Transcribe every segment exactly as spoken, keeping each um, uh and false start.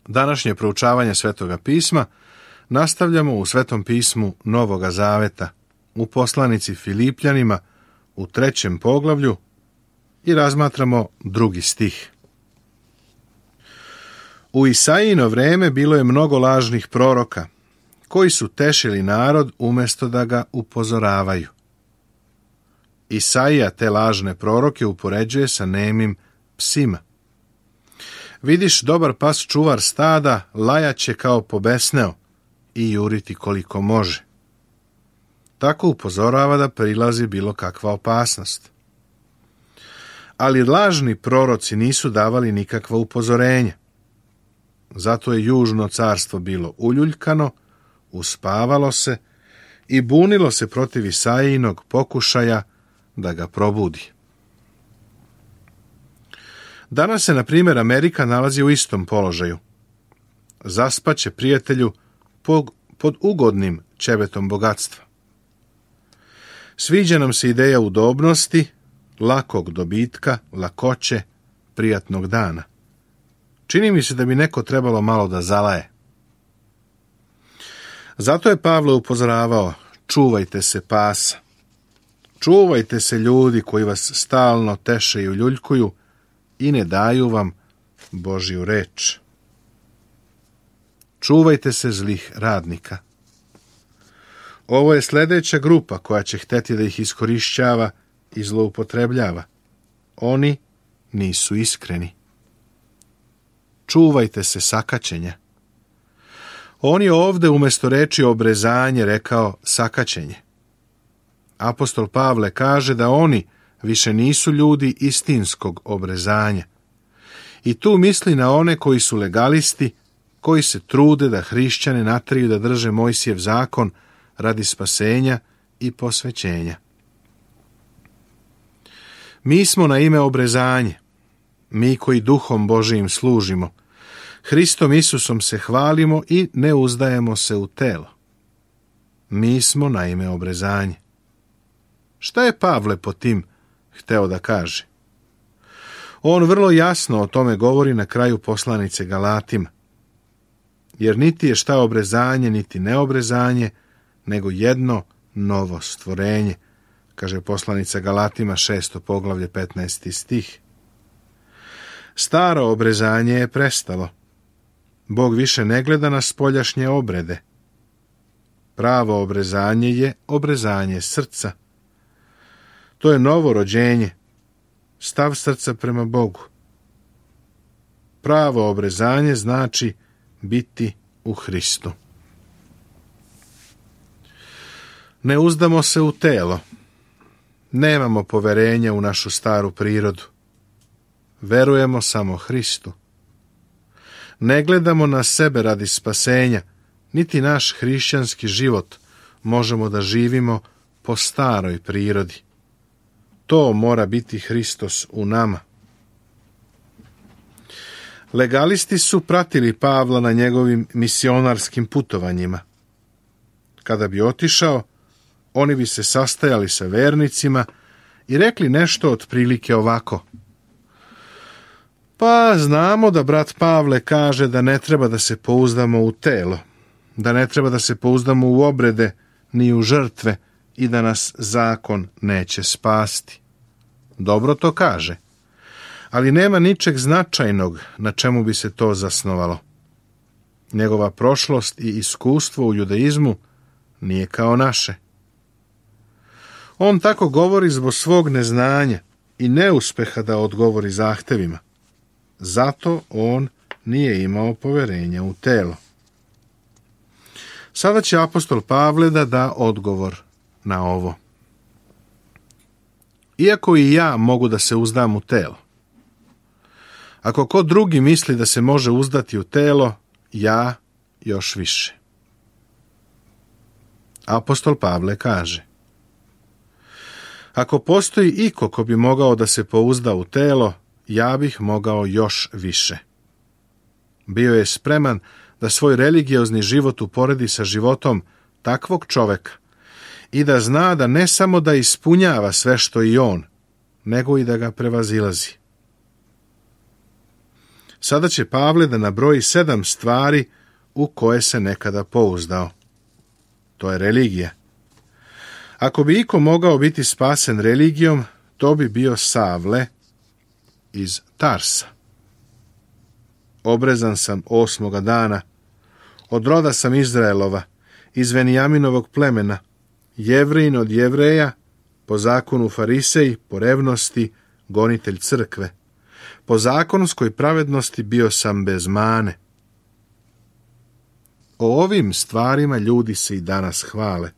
Današnje proučavanje Svetoga pisma nastavljamo u Svetom pismu Novoga Zaveta, u poslanici Filipljanima, u trećem poglavlju i razmatramo drugi stih. U Isaijino vreme bilo je mnogo lažnih proroka, koji su tešili narod umjesto da ga upozoravaju. Isaija te lažne proroke upoređuje sa nemim psima. Vidiš, dobar pas čuvar stada lajaće kao pobesneo i juriti koliko može. Tako upozorava da prilazi bilo kakva opasnost. Ali lažni proroci nisu davali nikakva upozorenja. Zato je južno carstvo bilo uljuljkano, uspavalo se i bunilo se protiv Isaijinog pokušaja da ga probudi. Danas se, na primjer, Amerika nalazi u istom položaju. Zaspaće prijatelju pod ugodnim ćebetom bogatstva. Sviđa nam se ideja udobnosti, lakog dobitka, lakoće, prijatnog dana. Čini mi se da bi neko trebalo malo da zalaje. Zato je Pavle upozoravao, čuvajte se pasa. Čuvajte se ljudi koji vas stalno teše i uljuljkuju i ne daju vam Božju reč. Čuvajte se zlih radnika. Ovo je sljedeća grupa koja će hteti da ih iskorišćava i zloupotrebljava. Oni nisu iskreni. Čuvajte se sakaćenja. On je ovde umjesto reči obrezanje rekao sakaćenje. Apostol Pavle kaže da oni više nisu ljudi istinskog obrezanja. I tu misli na one koji su legalisti, koji se trude da hrišćane nateraju da drže Mojsijev zakon radi spasenja i posvećenja. Mi smo na ime obrezanje, mi koji duhom Božijim služimo, Hristom Isusom se hvalimo i ne uzdajemo se u telo. Mi smo na ime obrezanje. Šta je Pavle po tim hteo da kaže? On vrlo jasno o tome govori na kraju poslanice Galatima. Jer niti je šta obrezanje, niti neobrezanje, nego jedno novo stvorenje, kaže poslanica Galatima šesto poglavlje petnaesti stih. Staro obrezanje je prestalo. Bog više ne gleda na spoljašnje obrede. Pravo obrezanje je obrezanje srca. To je novo rođenje, stav srca prema Bogu. Pravo obrezanje znači biti u Hristu. Ne uzdamo se u telo. Nemamo poverenja u našu staru prirodu. Verujemo samo Hristu. Ne gledamo na sebe radi spasenja, niti naš hrišćanski život možemo da živimo po staroj prirodi. To mora biti Hristos u nama. Legalisti su pratili Pavla na njegovim misionarskim putovanjima. Kada bi otišao, oni bi se sastajali sa vernicima i rekli nešto otprilike ovako. Pa znamo da brat Pavle kaže da ne treba da se pouzdamo u telo, da ne treba da se pouzdamo u obrede ni u žrtve i da nas zakon neće spasti. Dobro to kaže, ali nema ničeg značajnog na čemu bi se to zasnovalo. Njegova prošlost i iskustvo u judaizmu nije kao naše. On tako govori zbog svog neznanja i neuspeha da odgovori zahtevima. Zato on nije imao poverenja u telo. Sada će apostol Pavle da da odgovor na ovo. Iako i ja mogu da se uzdam u telo, ako ko drugi misli da se može uzdati u telo, ja još više. Apostol Pavle kaže: ako postoji iko ko bi mogao da se pouzda u telo, ja bih mogao još više. Bio je spreman da svoj religiozni život uporedi sa životom takvog čoveka i da zna da ne samo da ispunjava sve što i on, nego i da ga prevazilazi. Sada će Pavle da nabroji sedam stvari u koje se nekada pouzdao. To je religija. Ako bi iko mogao biti spasen religijom, to bi bio Savle iz Tarsa. Obrezan sam osmoga dana, od roda sam Izraelova, iz Venijaminovog plemena, Jevrin od Jevreja, po zakonu Farisej, po revnosti, gonitelj crkve. Po zakonskoj pravednosti bio sam bez mane. O ovim stvarima ljudi se i danas hvale,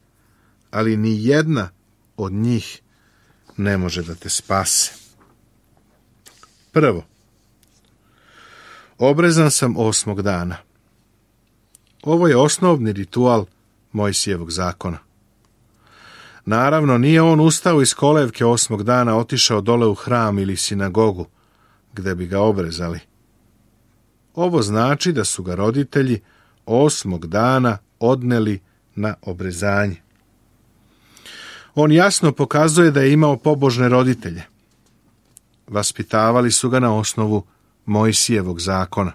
ali ni jedna od njih ne može da te spase. Prvo, obrezan sam osmog dana. Ovo je osnovni ritual Mojsijevog zakona. Naravno, nije on ustao iz kolevke osmog dana, otišao dole u hram ili sinagogu, gde bi ga obrezali. Ovo znači da su ga roditelji osmog dana odneli na obrezanje. On jasno pokazuje da je imao pobožne roditelje. Vaspitavali su ga na osnovu Mojsijevog zakona.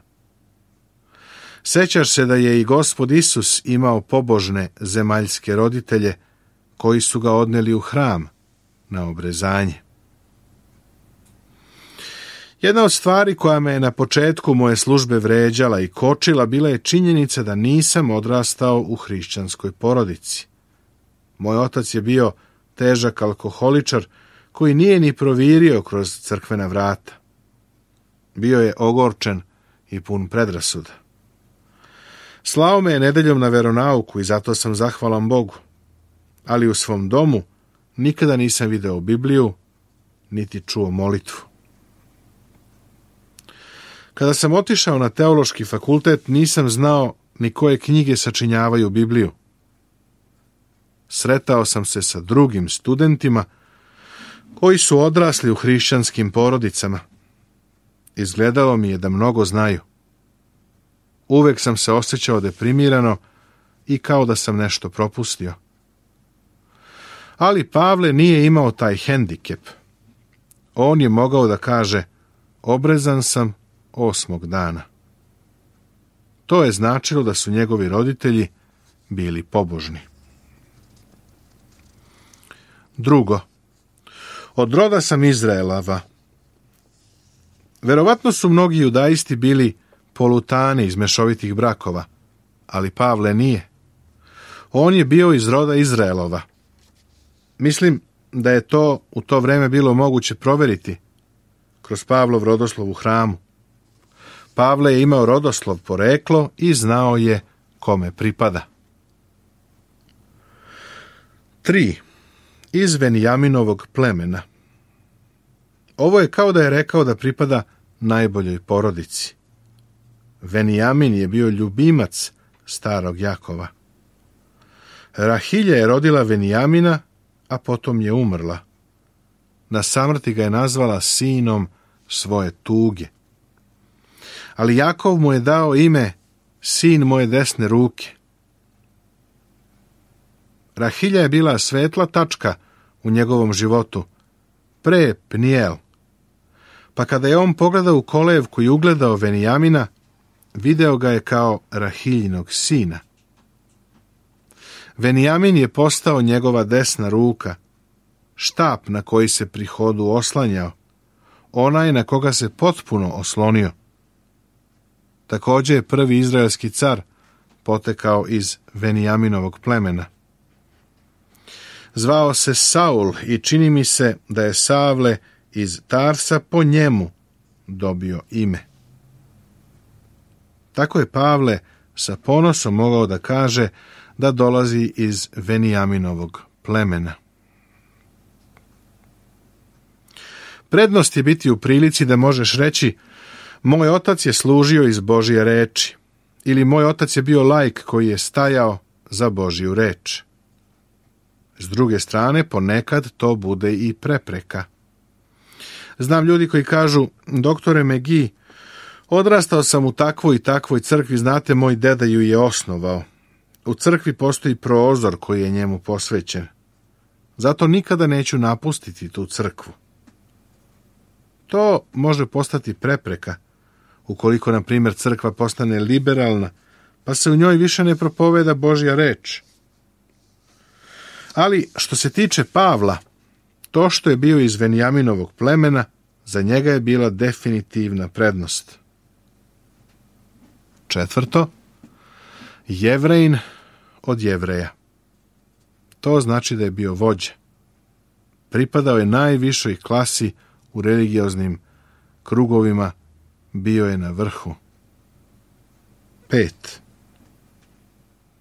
Sećaš se da je i Gospod Isus imao pobožne zemaljske roditelje koji su ga odneli u hram na obrezanje. Jedna od stvari koja me je na početku moje službe vređala i kočila bila je činjenica da nisam odrastao u hrišćanskoj porodici. Moj otac je bio težak alkoholičar koji nije ni provirio kroz crkvena vrata. Bio je ogorčen i pun predrasuda. Slao me je nedeljom na veronauku i zato sam zahvalan Bogu. Ali u svom domu nikada nisam video Bibliju, niti čuo molitvu. Kada sam otišao na teološki fakultet, nisam znao ni koje knjige sačinjavaju Bibliju. Sretao sam se sa drugim studentima koji su odrasli u hrišćanskim porodicama. Izgledalo mi je da mnogo znaju. Uvek sam se osjećao deprimirano i kao da sam nešto propustio. Ali Pavle nije imao taj hendikep. On je mogao da kaže, obrezan sam osmog dana. To je značilo da su njegovi roditelji bili pobožni. Drugo, od roda sam Izraelava. Verovatno su mnogi judaisti bili polutani iz mešovitih brakova, ali Pavle nije. On je bio iz roda Izraelova. Mislim da je to u to vreme bilo moguće proveriti kroz Pavlov rodoslov u hramu. Pavle je imao rodoslov poreklo i znao je kome pripada. Tri. Iz Venijaminovog plemena. Ovo je kao da je rekao da pripada najboljoj porodici. Venijamin je bio ljubimac starog Jakova. Rahilja je rodila Venijamina, a potom je umrla. Na samrti ga je nazvala sinom svoje tuge. Ali Jakov mu je dao ime sin moje desne ruke. Rahilja je bila svetla tačka u njegovom životu, pre Pnijel. Pa kada je on pogledao u kolevku i ugledao Venijamina, video ga je kao Rahiljinog sina. Venijamin je postao njegova desna ruka, štap na koji se pri hodu oslanjao, onaj na koga se potpuno oslonio. Također je prvi izraelski car potekao iz Venijaminovog plemena. Zvao se Saul i čini mi se da je Savle iz Tarsa po njemu dobio ime. Tako je Pavle sa ponosom mogao da kaže da dolazi iz Venijaminovog plemena. Prednost je biti u prilici da možeš reći moj otac je služio iz Božje reči ili moj otac je bio laik koji je stajao za Božju reč. S druge strane, ponekad to bude i prepreka. Znam ljudi koji kažu, doktore Megi, odrastao sam u takvoj i takvoj crkvi, znate, moj deda ju je osnovao. U crkvi postoji prozor koji je njemu posvećen. Zato nikada neću napustiti tu crkvu. To može postati prepreka ukoliko, na primjer, crkva postane liberalna, pa se u njoj više ne propoveda Božja reč. Ali, što se tiče Pavla, to što je bio iz Venjaminovog plemena, za njega je bila definitivna prednost. Četvrto, Jevrejin od Jevreja. To znači da je bio vođa. Pripadao je najvišoj klasi u religioznim krugovima, bio je na vrhu. Pet.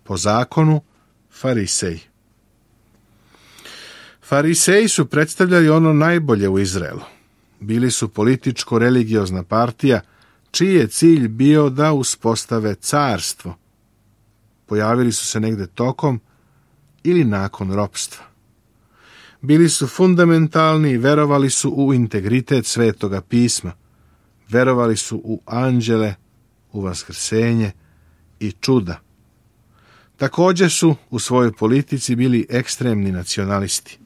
Po zakonu, farisej. Fariseji su predstavljali ono najbolje u Izraelu. Bili su političko-religiozna partija, čiji je cilj bio da uspostave carstvo. Pojavili su se negde tokom ili nakon ropstva. Bili su fundamentalni i verovali su u integritet Svetoga pisma. Verovali su u anđele, u vaskrsenje i čuda. Također su u svojoj politici bili ekstremni nacionalisti.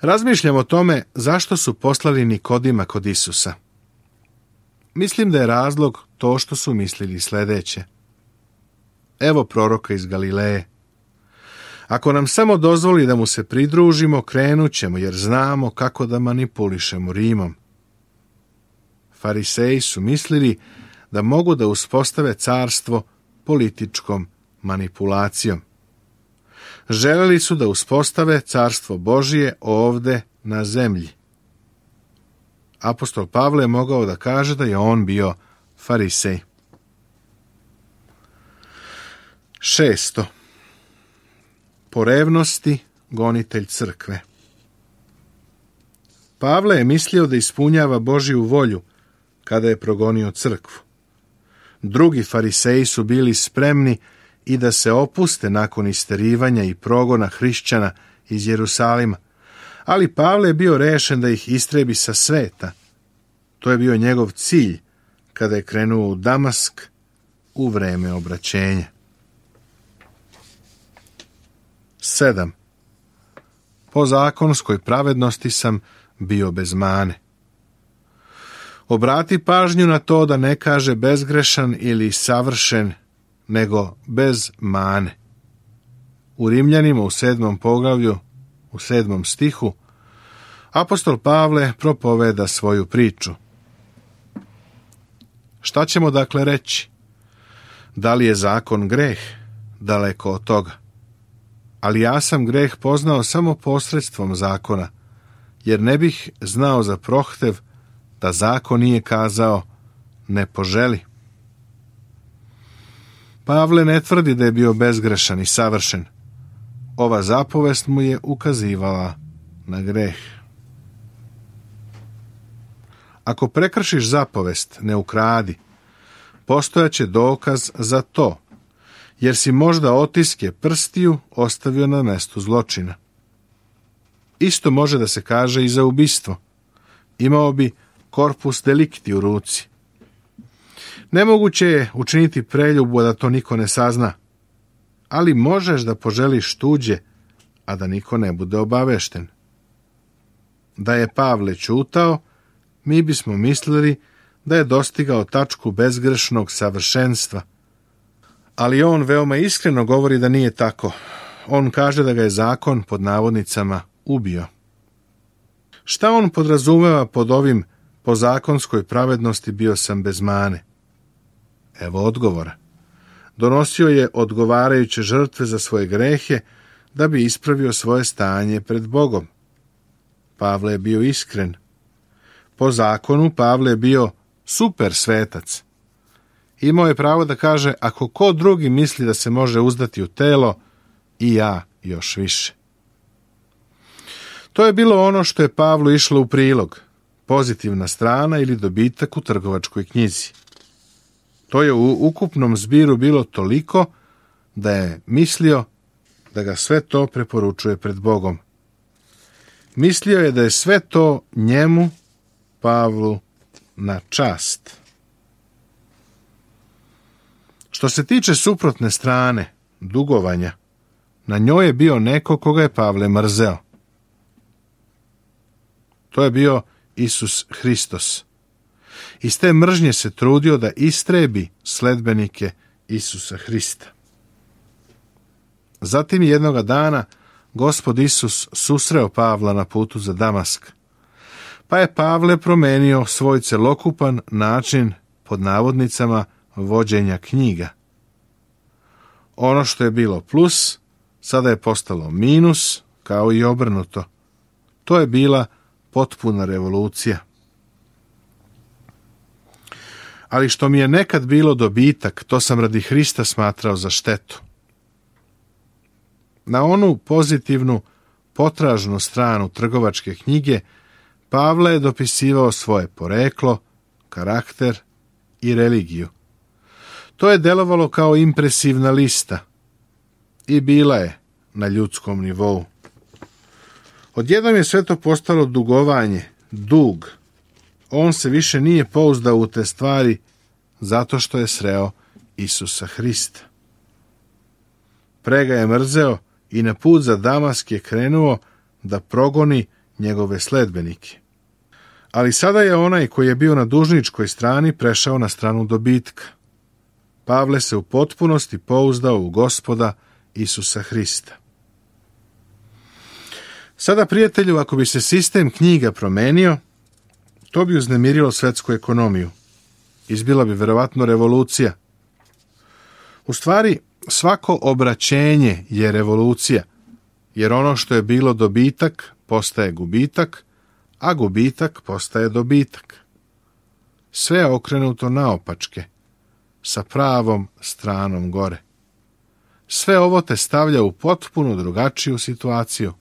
Razmišljam o tome zašto su poslali Nikodima kod Isusa. Mislim da je razlog to što su mislili sljedeće. Evo proroka iz Galileje. Ako nam samo dozvoli da mu se pridružimo, krenut ćemo, jer znamo kako da manipulišemo Rimom. Fariseji su mislili da mogu da uspostave carstvo političkom manipulacijom. Želeli su da uspostave carstvo Božije ovde na zemlji. Apostol Pavle je mogao da kaže da je on bio farisej. Šesto. Po revnosti gonitelj crkve. Pavle je mislio da ispunjava Božju volju kada je progonio crkvu. Drugi fariseji su bili spremni i da se opuste nakon isterivanja i progona hrišćana iz Jerusalima, ali Pavle je bio rešen da ih istrebi sa sveta. To je bio njegov cilj kada je krenuo u Damask u vreme obraćenja. Sedam. Po zakonskoj pravednosti sam bio bez mane. Obrati pažnju na to da ne kaže bezgrešan ili savršen, nego bez mane. U Rimljanima u sedmom poglavlju, u sedmom stihu, apostol Pavle propoveda svoju priču. Šta ćemo dakle reći? Da li je zakon greh? Daleko od toga. Ali ja sam greh poznao samo posredstvom zakona, jer ne bih znao za prohtev da zakon nije kazao ne poželi. Pavle ne tvrdi da je bio bezgrešan i savršen. Ova zapovest mu je ukazivala na greh. Ako prekršiš zapovest, ne ukradi, postojaće dokaz za to, jer si možda otiske prstiju ostavio na mestu zločina. Isto može da se kaže i za ubistvo. Imao bi corpus delicti u ruci. Nemoguće je učiniti preljubu da to niko ne sazna, ali možeš da poželiš tuđe, a da niko ne bude obavešten. Da je Pavle ćutao, mi bismo mislili da je dostigao tačku bezgrešnog savršenstva. Ali on veoma iskreno govori da nije tako. On kaže da ga je zakon, pod navodnicama, ubio. Šta on podrazumeva pod ovim po zakonskoj pravednosti bio sam bez mane? Evo odgovora. Donosio je odgovarajuće žrtve za svoje grehe da bi ispravio svoje stanje pred Bogom. Pavle je bio iskren. Po zakonu Pavle je bio super svetac. Imao je pravo da kaže, ako ko drugi misli da se može uzdati u telo, i ja još više. To je bilo ono što je Pavlu išlo u prilog, pozitivna strana ili dobitak u trgovačkoj knjizi. To je u ukupnom zbiru bilo toliko da je mislio da ga sve to preporučuje pred Bogom. Mislio je da je sve to njemu, Pavlu, na čast. Što se tiče suprotne strane, dugovanja, na njoj je bio neko koga je Pavle mrzeo. To je bio Isus Hristos, Iz te mržnje se trudio da istrebi sledbenike Isusa Hrista. Zatim jednoga dana Gospod Isus susreo Pavla na putu za Damask, pa je Pavle promenio svoj celokupan način, pod navodnicama, vođenja knjiga. Ono što je bilo plus, sada je postalo minus, kao i obrnuto. To je bila potpuna revolucija. Ali što mi je nekad bilo dobitak, to sam radi Hrista smatrao za štetu. Na onu pozitivnu, potražnu stranu trgovačke knjige Pavle je dopisivao svoje poreklo, karakter i religiju. To je delovalo kao impresivna lista i bila je na ljudskom nivou. Odjednom je sve to postalo dugovanje, dug. On se više nije pouzdao u te stvari zato što je sreo Isusa Hrista. Pre ga je mrzeo i na put za Damask je krenuo da progoni njegove sledbenike. Ali sada je onaj koji je bio na dužničkoj strani prešao na stranu dobitka. Pavle se u potpunosti pouzdao u Gospoda Isusa Hrista. Sada, prijatelju, ako bi se sistem knjiga promenio, to bi uznemirilo svetsku ekonomiju. Izbila bi verovatno revolucija. U stvari, svako obraćenje je revolucija, jer ono što je bilo dobitak postaje gubitak, a gubitak postaje dobitak. Sve je okrenuto naopačke, sa pravom stranom gore. Sve ovo te stavlja u potpuno drugačiju situaciju.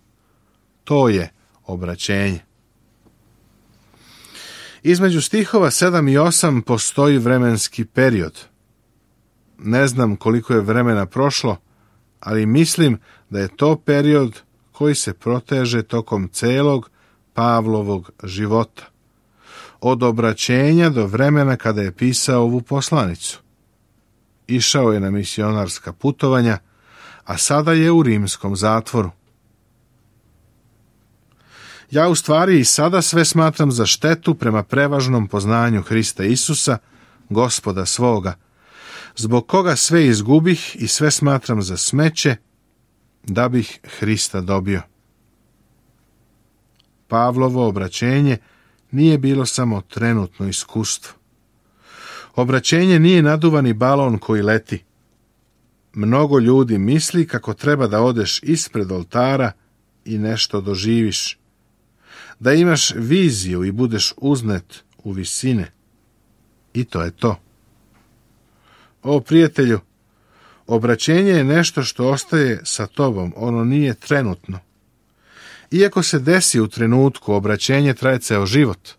To je obraćenje. Između stihova sedam i osam postoji vremenski period. Ne znam koliko je vremena prošlo, ali mislim da je to period koji se proteže tokom celog Pavlovog života. Od obraćenja do vremena kada je pisao ovu poslanicu. Išao je na misionarska putovanja, a sada je u rimskom zatvoru. Ja u stvari i sada sve smatram za štetu prema prevažnom poznanju Hrista Isusa, Gospoda svoga, zbog koga sve izgubih i sve smatram za smeće, da bih Hrista dobio. Pavlovo obraćenje nije bilo samo trenutno iskustvo. Obraćenje nije naduvani balon koji leti. Mnogo ljudi misli kako treba da odeš ispred oltara i nešto doživiš. Da imaš viziju i budeš uznet u visine. I to je to. O, prijatelju, obraćenje je nešto što ostaje sa tobom, ono nije trenutno. Iako se desi u trenutku, obraćenje traje ceo život.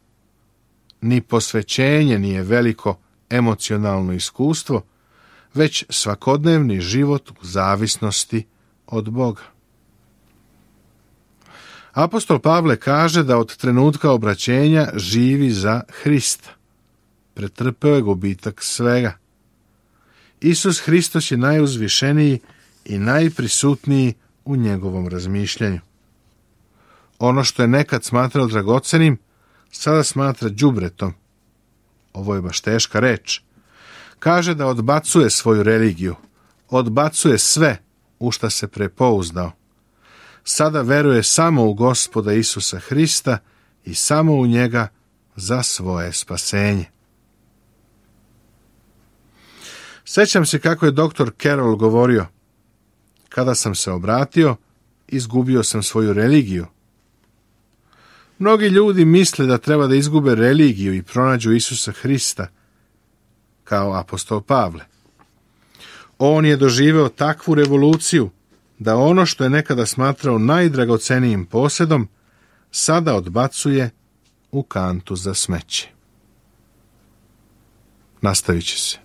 Ni posvećenje nije veliko emocionalno iskustvo, već svakodnevni život u zavisnosti od Boga. Apostol Pavle kaže da od trenutka obraćenja živi za Hrista. Pretrpeo je gubitak svega. Isus Hristos je najuzvišeniji i najprisutniji u njegovom razmišljanju. Ono što je nekad smatrao dragocenim, sada smatra đubretom. Ovo je baš teška reč. Kaže da odbacuje svoju religiju, odbacuje sve u šta se prepouzdao. Sada veruje samo u Gospoda Isusa Hrista i samo u njega za svoje spasenje. Sećam se kako je doktor Carroll govorio: kada sam se obratio, izgubio sam svoju religiju. Mnogi ljudi misle da treba da izgube religiju i pronađu Isusa Hrista, kao apostol Pavle. On je doživeo takvu revoluciju da ono što je nekada smatrao najdragocenijim posedom, sada odbacuje u kantu za smeće. Nastavit će se.